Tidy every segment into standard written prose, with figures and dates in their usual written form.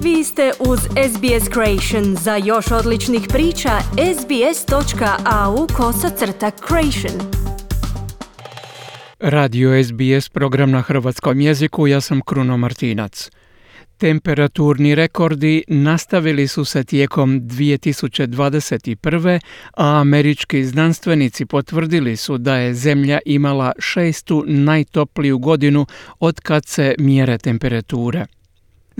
Vi ste uz SBS Creation. Za još odličnih priča, sbs.au/creation. Radio SBS, program na hrvatskom jeziku, ja sam Kruno Martinac. Temperaturni rekordi nastavili su se tijekom 2021. a američki znanstvenici potvrdili su da je Zemlja imala 6. najtopliju godinu od kad se mjere temperature.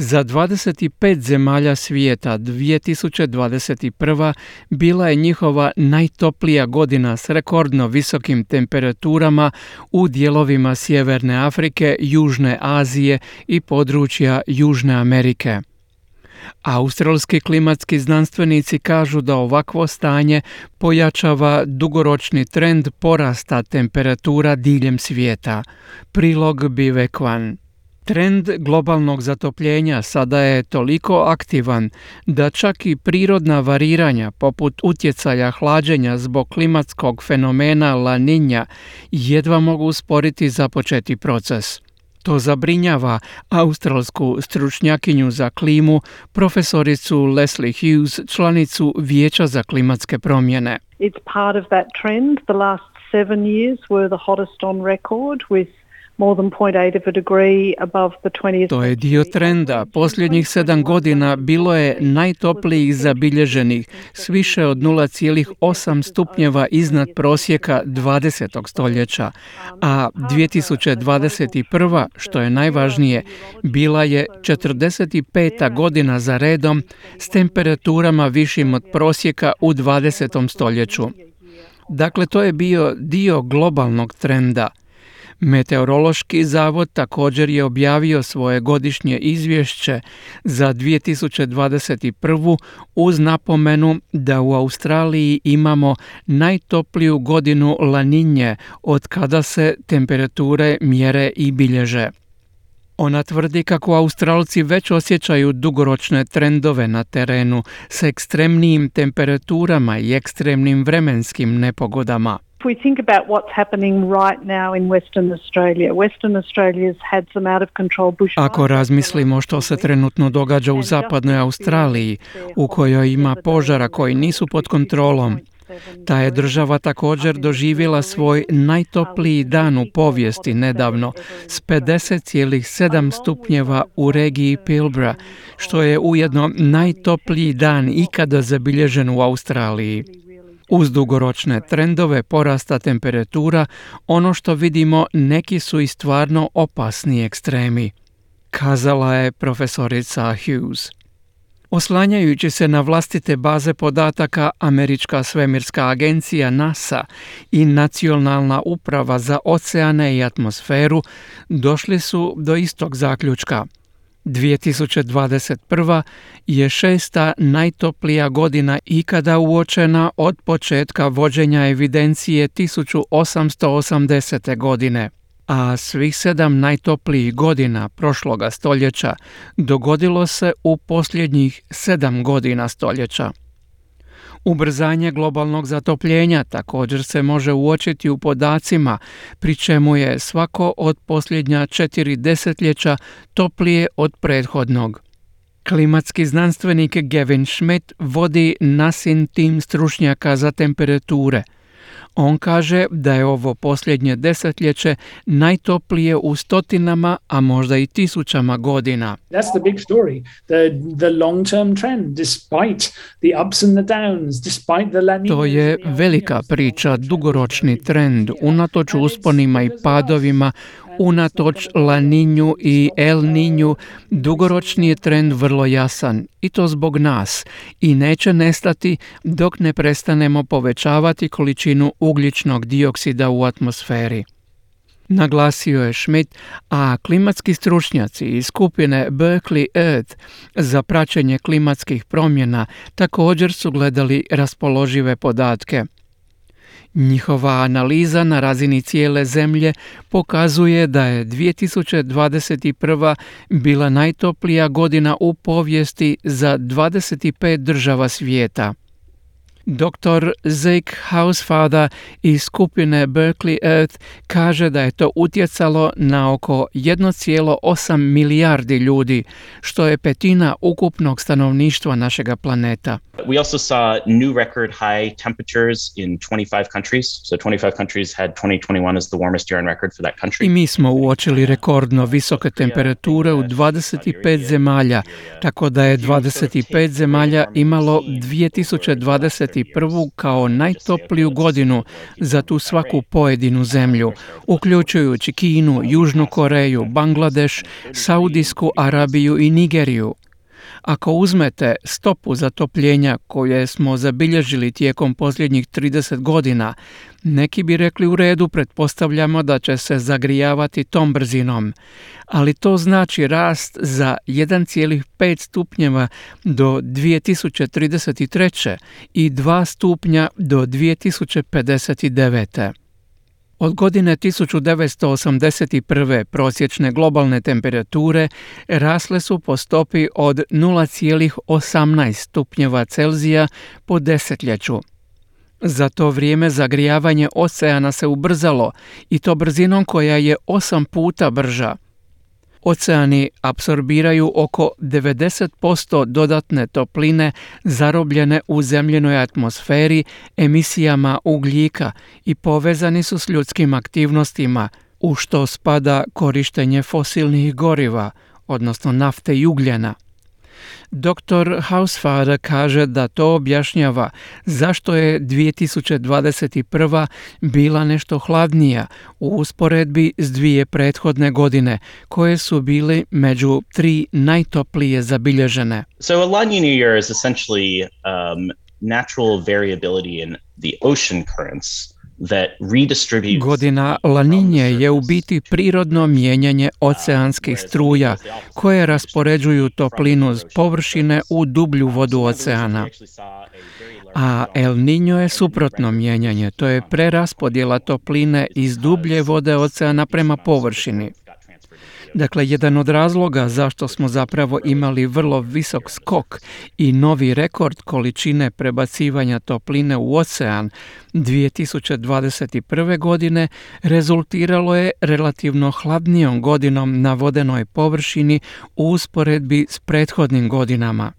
Za 25 zemalja svijeta 2021. bila je njihova najtoplija godina s rekordno visokim temperaturama u dijelovima Sjeverne Afrike, Južne Azije i područja Južne Amerike. Australski klimatski znanstvenici kažu da ovakvo stanje pojačava dugoročni trend porasta temperatura diljem svijeta. Prilog Bivekwan. Trend globalnog zatopljenja sada je toliko aktivan da čak i prirodna variranja poput utjecaja hlađenja zbog klimatskog fenomena La Niña jedva mogu usporiti započeti proces. To zabrinjava australsku stručnjakinju za klimu, profesoricu Leslie Hughes, članicu Vijeća za klimatske promjene. It's part of that trend. The last 7 years were the hottest on record with more than 0.8 of a degree above the 20th. To je dio trenda. Posljednjih 7 godina bilo je najtoplijih zabilježenih, s više od 0,8 stupnjeva iznad prosjeka 20. stoljeća, a 2021. što je najvažnije, bila je 45. godina za redom s temperaturama višim od prosjeka u 20. stoljeću. Dakle, to je bio dio globalnog trenda. Meteorološki zavod također je objavio svoje godišnje izvješće za 2021. uz napomenu da u Australiji imamo najtopliju godinu La Niñe od kada se temperature mjere i bilježe. Ona tvrdi kako Australci već osjećaju dugoročne trendove na terenu s ekstremnijim temperaturama i ekstremnim vremenskim nepogodama. If we think about what's happening right now in Western Australia, Western Australia's had some out of control bushfires. Ako razmislimo što se trenutno događa u zapadnoj Australiji, u kojoj ima požara koji nisu pod kontrolom, ta je država također doživjela svoj najtopliji dan u povijesti nedavno s 50,7 stupnjeva u regiji Pilbara, što je ujedno najtopliji dan ikada zabilježen u Australiji. Uz dugoročne trendove porasta temperatura, ono što vidimo neki su i stvarno opasni ekstremi, kazala je profesorica Hughes. Oslanjajući se na vlastite baze podataka, Američka svemirska agencija NASA i Nacionalna uprava za oceane i atmosferu došli su do istog zaključka. 2021. je 6. najtoplija godina ikada uočena od početka vođenja evidencije 1880. godine, a svih 7 najtoplijih godina prošloga stoljeća dogodilo se u posljednjih 7 godina stoljeća. Ubrzanje globalnog zatopljenja također se može uočiti u podacima, pri čemu je svako od posljednja 4 desetljeća toplije od prethodnog. Klimatski znanstvenik Gavin Schmidt vodi NASIN tim stručnjaka za temperature. On kaže da je ovo posljednje desetljeće najtoplije u stotinama, a možda i tisućama godina. That's the big story. The long-term trend, despite the ups and the downs, despite the La Niña. To je velika priča, dugoročni trend, unatoč usponima i padovima, unatoč La Niñu i El Niñu, dugoročni je trend vrlo jasan, i to zbog nas, i neće nestati dok ne prestanemo povećavati količinu ugljičnog dioksida u atmosferi. Naglasio je Schmidt, a klimatski stručnjaci iz skupine Berkeley Earth za praćenje klimatskih promjena također su gledali raspoložive podatke. Njihova analiza na razini cijele zemlje pokazuje da je 2021. bila najtoplija godina u povijesti za 25 država svijeta. Dr. Zeke Housefather iz skupine Berkeley Earth kaže da je to utjecalo na oko 1,8 milijardi ljudi, što je petina ukupnog stanovništva našega planeta. We also saw new record high temperatures in 25 countries. So 25 countries had 2021 as the warmest year on record for that country. I mi smo uočili rekordno visoke temperature u 25 zemalja, tako da je 25 zemalja imalo 2021. kao najtopliju godinu za tu svaku pojedinu zemlju, uključujući Kinu, Južnu Koreju, Bangladeš, Saudijsku Arabiju i Nigeriju. Ako uzmete stopu zatopljenja koje smo zabilježili tijekom posljednjih 30 godina, neki bi rekli u redu, pretpostavljamo da će se zagrijavati tom brzinom, ali to znači rast za 1,5 stupnjeva do 2033. i 2 stupnja do 2059. Od godine 1981. prosječne globalne temperature rasle su po stopi od 0,18 stupnjeva Celzija po desetljeću. Za to vrijeme zagrijavanje oceana se ubrzalo i to brzinom koja je 8 puta brža. Oceani apsorbiraju oko 90% dodatne topline zarobljene u zemljenoj atmosferi emisijama ugljika i povezani su s ljudskim aktivnostima, u što spada korištenje fosilnih goriva, odnosno nafte i ugljena. Dr. Housefather kaže da to objašnjava zašto je 2021. bila nešto hladnija u usporedbi s 2 prethodne godine, koje su bili među 3 najtoplije zabilježene. So a La Niña year is essentially natural variability in the ocean currents that redistributes. Godina La Niñe je u biti prirodno mijenjanje oceanskih struja koje raspoređuju toplinu s površine u dublju vodu oceana. A El Niño je suprotno mijenjanje, to je preraspodjela topline iz dublje vode oceana prema površini. Dakle, jedan od razloga zašto smo zapravo imali vrlo visok skok i novi rekord količine prebacivanja topline u ocean 2021. godine rezultiralo je relativno hladnijom godinom na vodenoj površini u usporedbi s prethodnim godinama.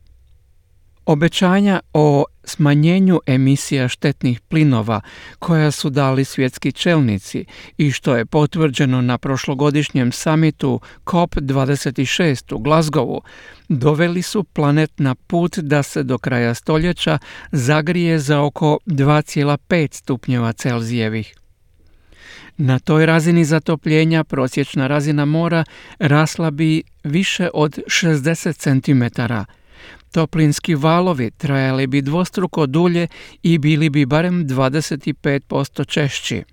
Obećanja o smanjenju emisija štetnih plinova koja su dali svjetski čelnici i što je potvrđeno na prošlogodišnjem samitu COP26 u Glasgowu, doveli su planet na put da se do kraja stoljeća zagrije za oko 2,5 stupnjeva Celzijevih. Na toj razini zatopljenja prosječna razina mora rasla bi više od 60 cm. Toplinski valovi trajali bi dvostruko dulje i bili bi barem 25% češći.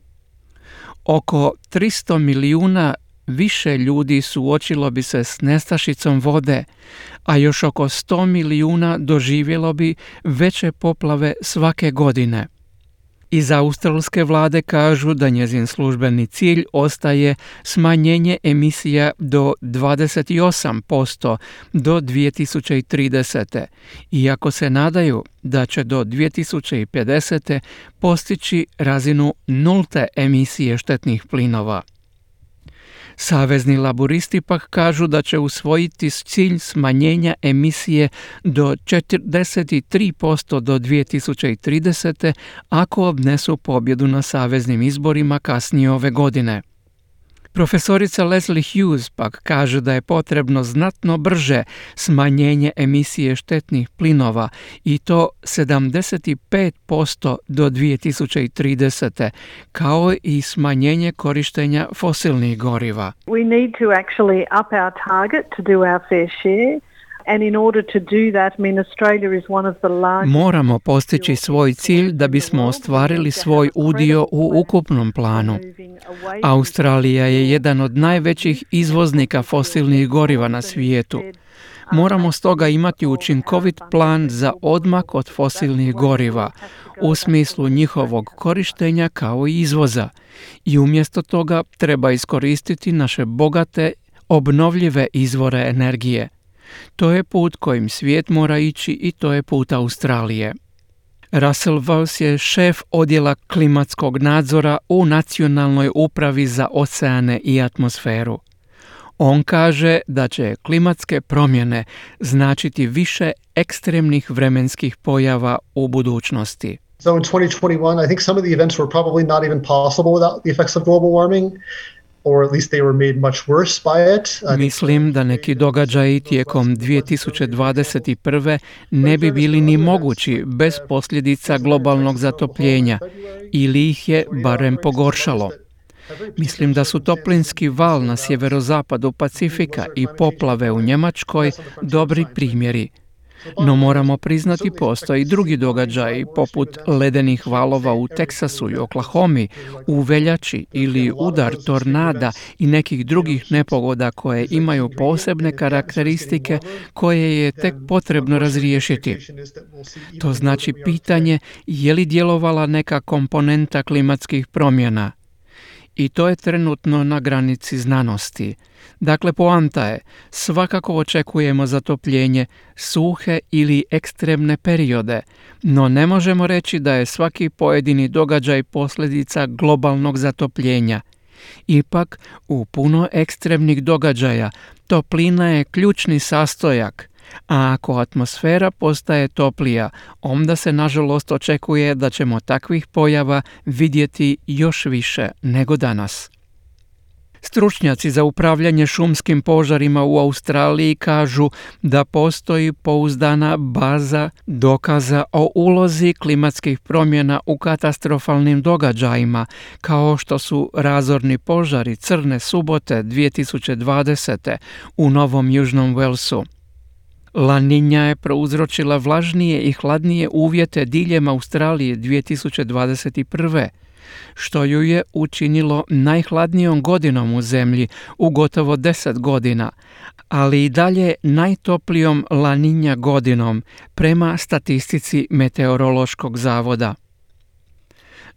Oko 300 milijuna više ljudi suočilo bi se s nestašicom vode, a još oko 100 milijuna doživjelo bi veće poplave svake godine. Iz australske vlade kažu da njezin službeni cilj ostaje smanjenje emisija do 28% do 2030. Iako se nadaju da će do 2050. postići razinu nulte emisije štetnih plinova. Savezni laburisti pak kažu da će usvojiti cilj smanjenja emisije do 43% do 2030. ako obnesu pobjedu na saveznim izborima kasnije ove godine. Profesorica Leslie Hughes pak kaže da je potrebno znatno brže smanjenje emisije štetnih plinova i to 75% do 2030. kao i smanjenje korištenja fosilnih goriva. We need to actually up our target to do our fair share. And in order to do that, I mean, Australia is one of the largest... Moramo postići svoj cilj da bismo ostvarili svoj udio u ukupnom planu. Australija je jedan od najvećih izvoznika fosilnih goriva na svijetu. Moramo stoga imati učinkovit plan za odmak od fosilnih goriva u smislu njihovog korištenja kao i izvoza. I umjesto toga treba iskoristiti naše bogate, obnovljive izvore energije. To je put kojim svijet mora ići i to je put Australije. Russell Wells je šef odjela klimatskog nadzora u Nacionalnoj upravi za oceane i atmosferu. On kaže da će klimatske promjene značiti više ekstremnih vremenskih pojava u budućnosti. So in 2021, I think some of the events were probably not even possible without the effects of global warming, or at least they were made much worse by it. Mislim da neki događaji tijekom 2021. ne bi bili ni mogući bez posljedica globalnog zatopljenja, ili ih je barem pogoršalo. Mislim da su toplinski val na sjeverozapadu Pacifika i poplave u Njemačkoj dobri primjeri. No moramo priznati postoje i drugi događaji poput ledenih valova u Teksasu i Oklahomi, u veljači ili udar tornada i nekih drugih nepogoda koje imaju posebne karakteristike koje je tek potrebno razriješiti. To znači pitanje je li djelovala neka komponenta klimatskih promjena. I to je trenutno na granici znanosti. Dakle, poanta je, svakako očekujemo zatopljenje, suhe ili ekstremne periode, no ne možemo reći da je svaki pojedini događaj posljedica globalnog zatopljenja. Ipak, u puno ekstremnih događaja toplina je ključni sastojak, a ako atmosfera postaje toplija, onda se nažalost očekuje da ćemo takvih pojava vidjeti još više nego danas. Stručnjaci za upravljanje šumskim požarima u Australiji kažu da postoji pouzdana baza dokaza o ulozi klimatskih promjena u katastrofalnim događajima, kao što su razorni požari Crne subote 2020. u Novom Južnom Walesu. La Niña je prouzročila vlažnije i hladnije uvjete diljem Australije 2021. što ju je učinilo najhladnijom godinom u zemlji u gotovo 10 godina, ali i dalje najtoplijom La Niña godinom prema statistici Meteorološkog zavoda.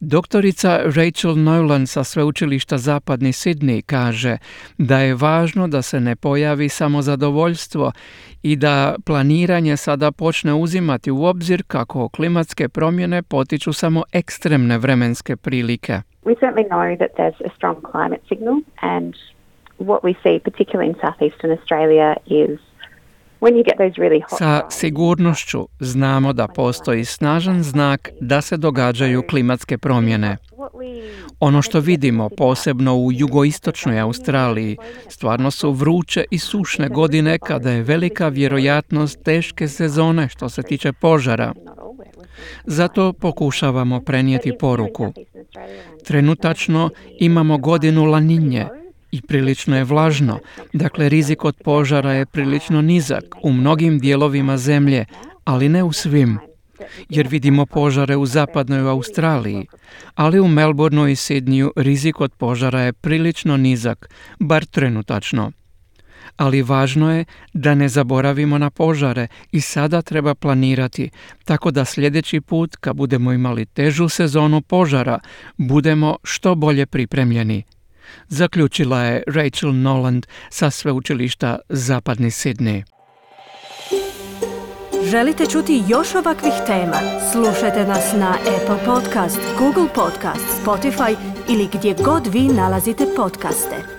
Doktorica Rachel Noland sa sveučilišta Zapadni Sidney kaže da je važno da se ne pojavi samo zadovoljstvo i da planiranje sada počne uzimati u obzir kako klimatske promjene potiču samo ekstremne vremenske prilike. We certainly know that there's a strong climate signal, and what we see particularly in southeastern Australia is Sa sigurnošću znamo da postoji snažan znak da se događaju klimatske promjene. Ono što vidimo, posebno u jugoistočnoj Australiji, stvarno su vruće i sušne godine kada je velika vjerojatnost teške sezone što se tiče požara. Zato pokušavamo prenijeti poruku. Trenutačno imamo godinu La Niñe i prilično je vlažno, dakle rizik od požara je prilično nizak u mnogim dijelovima zemlje, ali ne u svim, jer vidimo požare u zapadnoj Australiji, ali u Melbourneu i Sydneyu rizik od požara je prilično nizak, bar trenutačno. Ali važno je da ne zaboravimo na požare i sada treba planirati, tako da sljedeći put kad budemo imali težu sezonu požara, budemo što bolje pripremljeni. Zaključila je Rachel Noland sa sveučilišta Zapadni Sidney. Želite čuti još ovakvih tema? Slušajte nas na Apple Podcast, Google Podcast, Spotify ili gdje god vi nalazite podcaste.